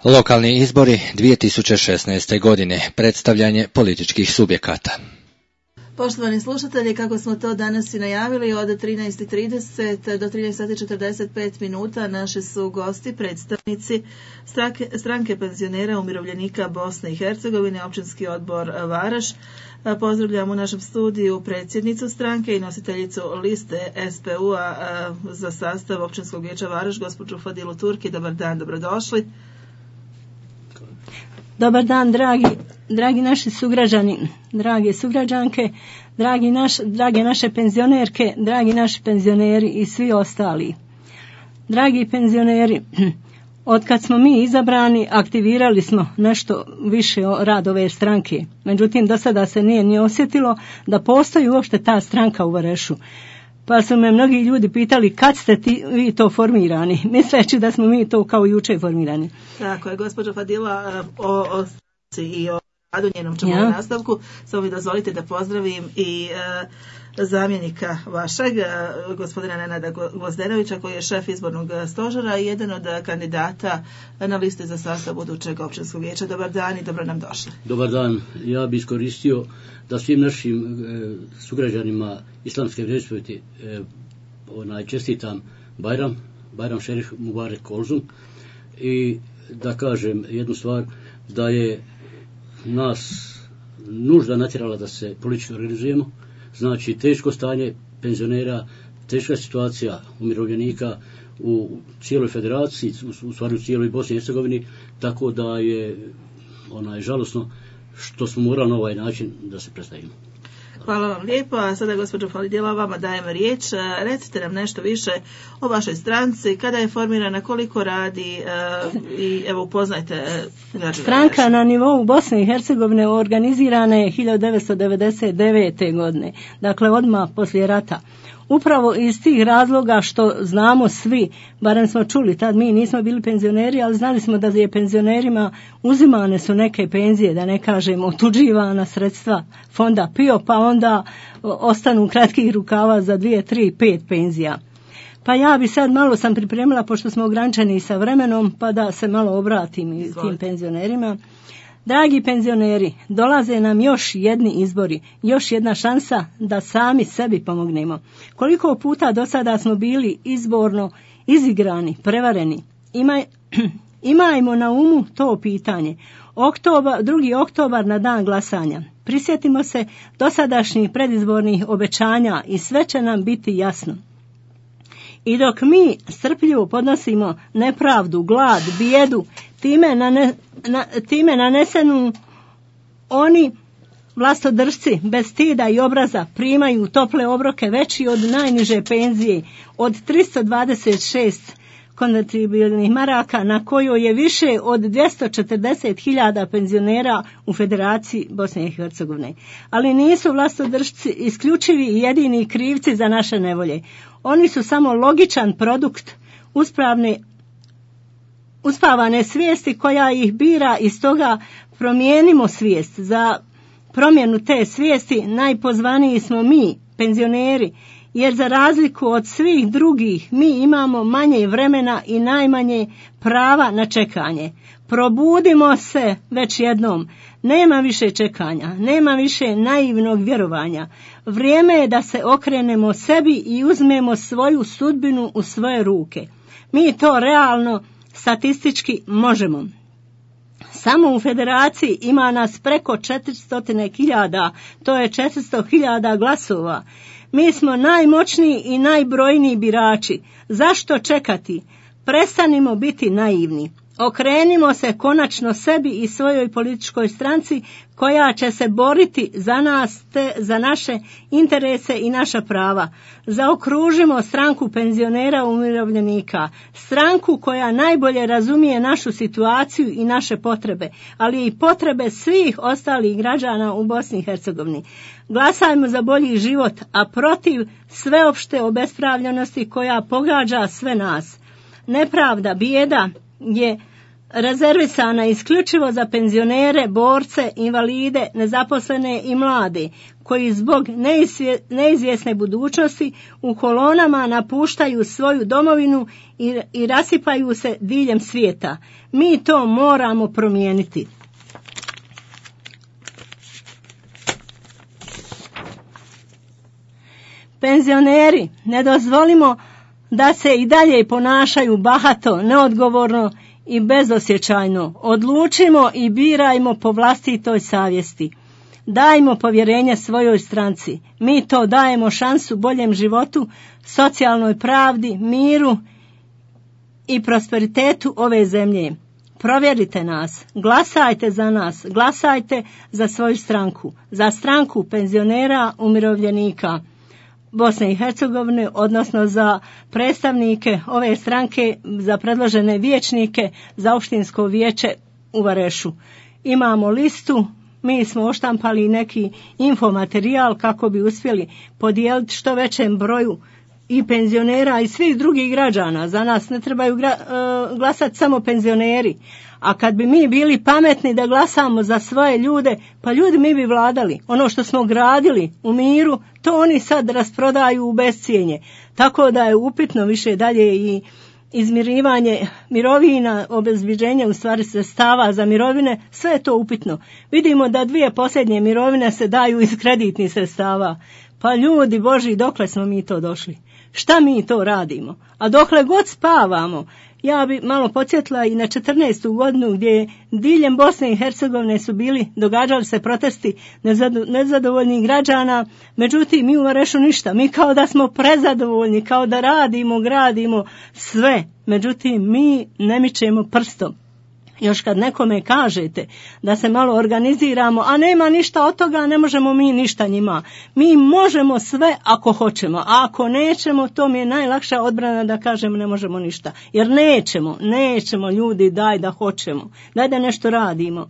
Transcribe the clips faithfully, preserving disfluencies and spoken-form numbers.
Lokalni izbori dvije tisuće šesnaeste. godine, predstavljanje političkih subjekata. Poštovani slušatelji, kako smo to danas i najavili, od trinaest i trideset do trinaest sati i četrdeset pet minuta naši su gosti, predstavnici stranke, stranke penzionera umirovljenika Bosne i Hercegovine, općinski odbor Varaš. Pozdravljam u našem studiju predsjednicu stranke i nositeljicu liste S P U-a za sastav općinskog vijeća Varaš, gospođu Fadilu Turki. Dobar dan, dobrodošli. Dobar dan, dragi, dragi naši sugrađani, drage sugrađanke, dragi naš, drage naše penzionerke, dragi naši penzioneri i svi ostali. Dragi penzioneri, od kad smo mi izabrani, aktivirali smo nešto više rad ove stranke. Međutim, do sada se nije ni osjetilo da postoji uopšte ta stranka u Varešu. Pa su me mnogi ljudi pitali kad ste ti, vi to formirani, misleći da smo mi to kao juče formirani. Tako je, gospođo Fadila, o, o stranci i o radu njenom ćemo ja. u nastavku. Samo mi dozvolite da pozdravim i e, zamjenika vašeg, e, gospodina Nenada Gvozdenovića, koji je šef izbornog stožera i jedan od kandidata na listi za sastav budućeg općinskog vijeća. Dobar dan i dobro nam došli. Dobar dan, ja bih iskoristio da svim našim e, sugrađanima islamske vjeroispovijesti e, onaj čestitam Bajram, Bajram Šerif Mubarek Kolzum, i da kažem jednu stvar, da je nas nužda natjerala da se politički organizujemo. Znači teško stanje penzionera, teška situacija umirovljenika u cijeloj federaciji, u, u stvari u cijeloj Bosni i Hercegovini, tako da je onaj žalosno što smo morali na ovaj način da se predstavimo. Hvala vam lijepo, a sada gospođo Falidjela, vama dajem riječ. Recite nam nešto više o vašoj stranci, kada je formirana, koliko radi i evo upoznajte građane. Stranka na nivou Bosne i Hercegovine organizirana je hiljadu devetsto devedeset devete. godine, dakle odmah poslije rata. Upravo iz tih razloga što znamo svi, barem smo čuli, tad mi nismo bili penzioneri, ali znali smo da je penzionerima uzimane su neke penzije, da ne kažem otuđivana sredstva fonda P I O, pa onda ostanu kratkih rukava za dvije, tri, pet penzija. Pa ja bi sad malo sam pripremila, pošto smo ograničeni sa vremenom, pa da se malo obratim i tim penzionerima. Dragi penzioneri, dolaze nam još jedni izbori, još jedna šansa da sami sebi pomognemo. Koliko puta do sada smo bili izborno izigrani, prevareni. Imaj, imajmo na umu to pitanje. Oktobar, drugi oktobar na dan glasanja. Prisjetimo se dosadašnjih predizbornih obećanja i sve će nam biti jasno. I dok mi strpljivo podnosimo nepravdu, glad, bijedu, time, nane, na, time nanesenu oni vlastodržci bez stida i obraza primaju tople obroke veći od najniže penzije, od tristo dvadeset šest konvertibilnih maraka, na kojoj je više od dvjesto četrdeset hiljada penzionera u Federaciji Bosne i Hercegovine. Ali nisu vlastodržci isključivi i jedini krivci za naše nevolje. Oni su samo logičan produkt uspravne uspavane svijesti koja ih bira, i stoga promijenimo svijest. Za promjenu te svijesti najpozvaniji smo mi, penzioneri, jer za razliku od svih drugih mi imamo manje vremena i najmanje prava na čekanje. Probudimo se već jednom. Nema više čekanja, nema više naivnog vjerovanja. Vrijeme je da se okrenemo sebi i uzmemo svoju sudbinu u svoje ruke. Mi to realno statistički možemo. Samo u Federaciji ima nas preko četiristo hiljada, to je četiristo hiljada glasova. Mi smo najmoćniji i najbrojniji birači. Zašto čekati? Prestanimo biti naivni. Okrenimo se konačno sebi i svojoj političkoj stranci koja će se boriti za nas, te za naše interese i naša prava. Zaokružimo stranku penzionera umirovljenika, stranku koja najbolje razumije našu situaciju i naše potrebe, ali i potrebe svih ostalih građana u Bosni i Hercegovini. Glasajmo za bolji život, a protiv sveopšte obespravljenosti koja pogađa sve nas. Nepravda, bijeda je rezervisana isključivo za penzionere, borce, invalide, nezaposlene i mlade, koji zbog neizvjesne budućnosti u kolonama napuštaju svoju domovinu i, i rasipaju se diljem svijeta. Mi to moramo promijeniti. Penzioneri, ne dozvolimo da se i dalje ponašaju bahato, neodgovorno i bezosjećajno. Odlučimo i birajmo po vlastitoj savjesti. Dajmo povjerenje svojoj stranci. Mi to dajemo šansu boljem životu, socijalnoj pravdi, miru i prosperitetu ove zemlje. Provjerite nas, glasajte za nas, glasajte za svoju stranku, za stranku penzionera umirovljenika Bosne i Hercegovine, odnosno za predstavnike ove stranke, za predložene vijećnike za opštinsko vijeće u Varešu. Imamo listu, mi smo oštampali neki infomaterijal kako bi uspjeli podijeliti što većem broju i penzionera i svih drugih građana. Za nas ne trebaju gra, uh, glasati samo penzioneri. A kad bi mi bili pametni da glasamo za svoje ljude, pa ljudi mi bi vladali. Ono što smo gradili u miru, to oni sad rasprodaju u bescijenje. Tako da je upitno više dalje i izmirivanje mirovina, obezbeđenje u stvari sredstava za mirovine, sve je to upitno. Vidimo da dvije posljednje mirovine se daju iz kreditnih sredstava. Pa ljudi Boži, dokle smo mi to došli? Šta mi to radimo? A dokle god spavamo, ja bi malo podsjetila i na četrnaestu godinu gdje diljem Bosne i Hercegovine su bili, događali se protesti nezadovoljnih građana, međutim mi u Varešu ništa, mi kao da smo prezadovoljni, kao da radimo, gradimo sve, međutim mi ne mičemo prstom. Još kad nekome kažete da se malo organiziramo, a nema ništa od toga, ne možemo mi ništa njima. Mi možemo sve ako hoćemo, a ako nećemo, to mi je najlakša odbrana da kažem ne možemo ništa. Jer nećemo, nećemo ljudi, daj da hoćemo, daj da nešto radimo.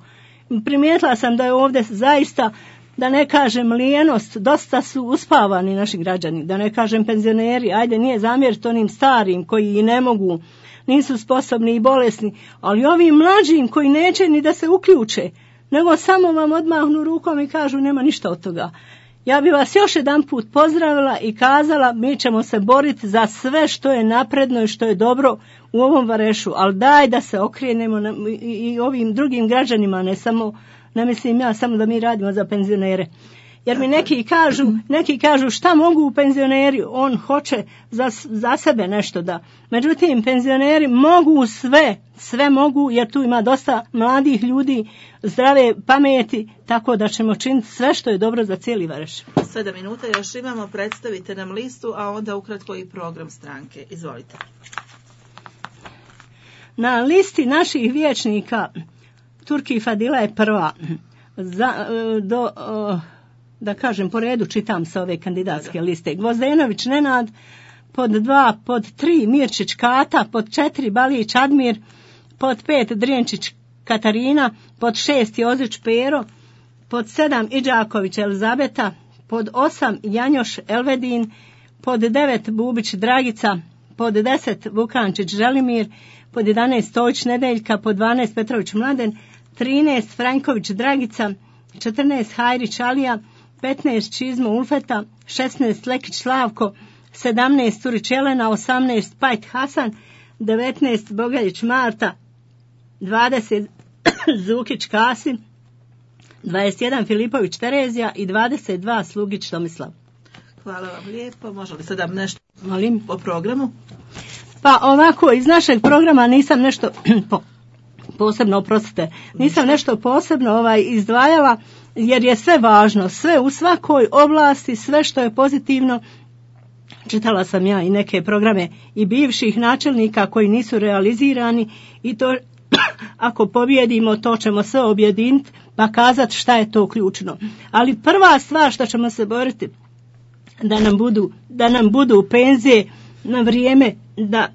Primijetila sam da je ovdje zaista, da ne kažem lijenost, dosta su uspavani naši građani, da ne kažem penzioneri, ajde nije zamjeriti onim starim koji i ne mogu, nisu sposobni i bolesni, ali ovi mlađim koji neće ni da se uključe, nego samo vam odmahnu rukom i kažu nema ništa od toga. Ja bi vas još jedan put pozdravila i kazala mi ćemo se boriti za sve što je napredno i što je dobro u ovom Varešu, ali daj da se okrenemo i, i ovim drugim građanima, ne samo, ne mislim ja samo da mi radimo za penzionere. Jer mi neki kažu, neki kažu šta mogu penzioneri, on hoće za, za sebe nešto da. Međutim, penzioneri mogu sve, sve mogu jer tu ima dosta mladih ljudi, zdrave pameti, tako da ćemo činiti sve što je dobro za cijeli Vareš. Sedam minuta još imamo, predstavite nam listu, a onda ukratko i program stranke. Izvolite. Na listi naših vijećnika Turki Fadila je prva. Za, do... da kažem po redu čitam sa ove kandidatske liste. Gvozdenović Nenad, pod dva, pod tri Mirčić Kata, pod četiri Balić Admir, pod pet Drenčić Katarina, pod šest Jozić Pero, pod sedam Iđaković Elizabeta, pod osam Janjoš Elvedin, pod devet Bubić Dragica, pod deset Vukančić Želimir, pod jedanaest Stojić Nedeljka, pod dvanaest Petrović Mladen, trinaest Franjković Dragica, četrnaest Hajrić Alija, petnaest Čizmo Ulfeta, šesnaest Lekić Slavko, sedamnaest Turić Jelena, osamnaest Pajt Hasan, devetnaest Bogaljić Marta, dvadeset Zukić Kasim, dvadeset jedan Filipović Terezija i dvadeset dva Slugić Tomislav. Hvala vam lijepo. Može li sada nešto Molim? po programu? Pa ovako, iz našeg programa nisam nešto po, posebno, oprostite, nisam nešto posebno ovaj izdvajala, jer je sve važno, sve u svakoj oblasti, sve što je pozitivno. Čitala sam ja i neke programe i bivših načelnika koji nisu realizirani i to ako pobjedimo to ćemo sve objediniti pa kazati šta je to ključno. Ali prva stvar što ćemo se boriti da nam budu, da nam budu penzije na vrijeme, da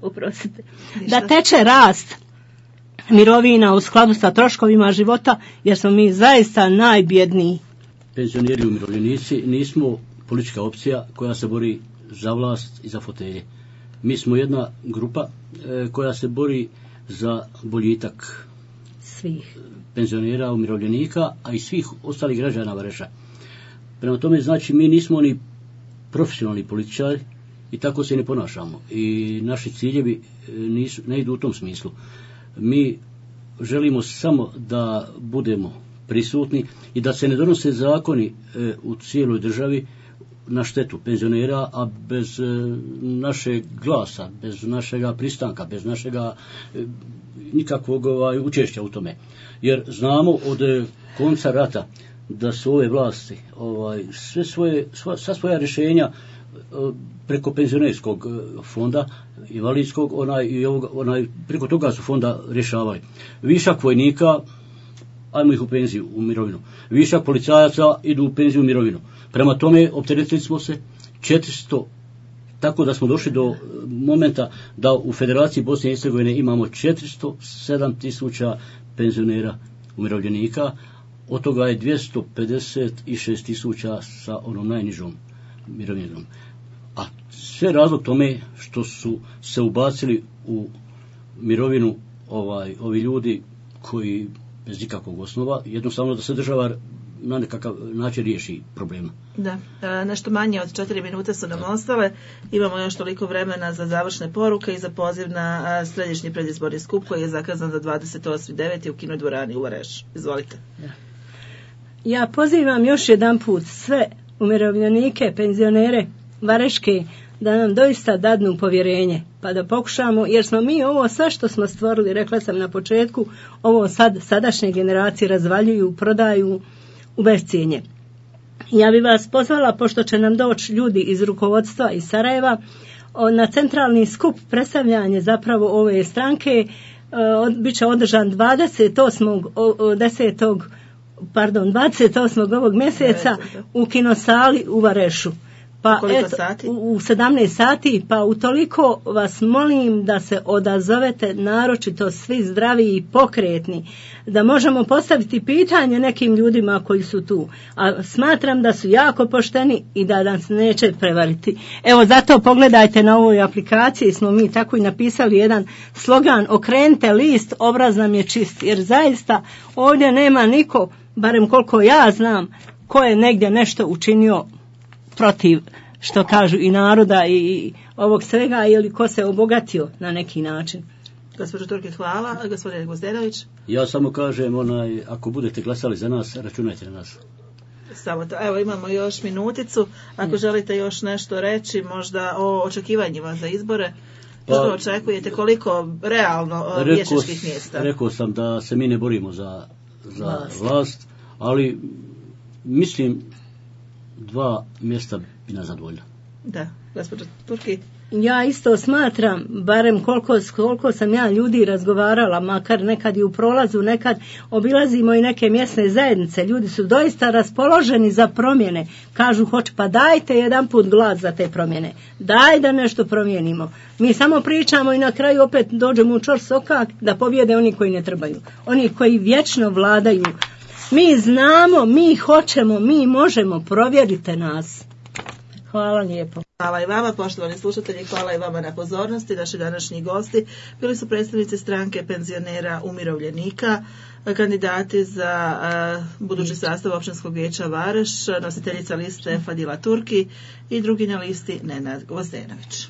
oprostite, da teče rast mirovina u skladu sa troškovima života, jer smo mi zaista najbjedniji. Penzioneri i umirovljenici nismo politička opcija koja se bori za vlast i za fotelje. Mi smo jedna grupa e, koja se bori za boljitak svih penzionera, umirovljenika, a i svih ostalih građana Vareša. Prema tome, znači, mi nismo ni profesionalni političari i tako se ne ponašamo. I naši ciljevi nisu, ne idu u tom smislu. Mi želimo samo da budemo prisutni i da se ne donose zakoni e, u cijeloj državi na štetu penzionera, a bez e, našeg glasa, bez našega pristanka, bez našega e, nikakvog ovaj, učešća u tome. Jer znamo od e, konca rata da su ove vlasti ovaj, sve svoje, sva, sva svoja rješenja preko penzionerskog fonda, invalidskog, onaj, i ovog, onaj, preko toga su fonda rješavali. Višak vojnika, ajmo ih u penziju, u mirovinu. Višak policajaca idu u penziju, u mirovinu. Prema tome, opteretili smo se četiristo, tako da smo došli do momenta da u Federaciji Bosne i Hercegovine imamo četiristo sedam tisuća penzionera, umirovljenika, od toga je dvjesto pedeset šest tisuća sa onom najnižom mirovinom. A sve razlog tome što su se ubacili u mirovinu ovaj, ovi ljudi koji bez nikakvog osnova, jednostavno da se država na nekakav način riješi problema. Da, e, nešto manje od četiri minute su nam ostale. Imamo još toliko vremena za završne poruke i za poziv na a, središnji predizborni skup koji je zakazan za dvadeset osmi deveti u kinodvorani u Varešu. Izvolite. Da. Ja pozivam još jedan put sve umirovljenike, penzionere Vareške da nam doista dadnu povjerenje, pa da pokušamo, jer smo mi ovo sve što smo stvorili, rekla sam na početku, ovo sad sadašnje generacije razvaljuju, prodaju u bescijenje. Ja bi vas pozvala, pošto će nam doći ljudi iz rukovodstva iz Sarajeva, na centralni skup predstavljanje zapravo ove stranke, bit će održan dvadeset osmog desetog pardon, dvadeset osmog ovog mjeseca u kinosali u Varešu. Pa Koliko eto, sati? U sedamnaest sati, pa utoliko vas molim da se odazovete, naročito svi zdravi i pokretni, da možemo postaviti pitanje nekim ljudima koji su tu. A smatram da su jako pošteni i da nas neće prevariti. Evo, zato pogledajte na ovoj aplikaciji, smo mi tako i napisali jedan slogan: okrenite list, obraz nam je čist. Jer zaista ovdje nema niko, barem koliko ja znam, ko je negdje nešto učinio protiv, što kažu, i naroda i ovog svega, ili ko se obogatio na neki način. Gospođo Turki, hvala. Gospodine Gvozdenović. Ja samo kažem, onaj, ako budete glasali za nas, računajte na nas. Samo to. Evo, imamo još minuticu. Ako želite još nešto reći, možda o očekivanjima za izbore, što pa, očekujete, koliko realno vijećničkih mjesta? Rekao sam da se mi ne borimo za, za vlast. vlast, ali mislim dva mjesta bi nas zadovoljila. Da, gospođo Turki. Ja isto smatram, barem koliko, koliko sam ja ljudi razgovarala, makar nekad i u prolazu, nekad obilazimo i neke mjesne zajednice, ljudi su doista raspoloženi za promjene, kažu hoće, pa dajte jedan put glas za te promjene, daj da nešto promijenimo. Mi samo pričamo i na kraju opet dođemo u čor sokak da pobjede oni koji ne trebaju, oni koji vječno vladaju. Mi znamo, mi hoćemo, mi možemo, provjerite nas. Hvala lijepo. Hvala i vama, poštovani slušatelji, hvala i vama na pozornosti. Naši današnji gosti bili su predstavnici stranke penzionera umirovljenika, kandidati za uh, budući sastav općinskog vijeća Vareš, nositeljica liste Fadila Turki i drugi na listi Nenad Gvozdenović.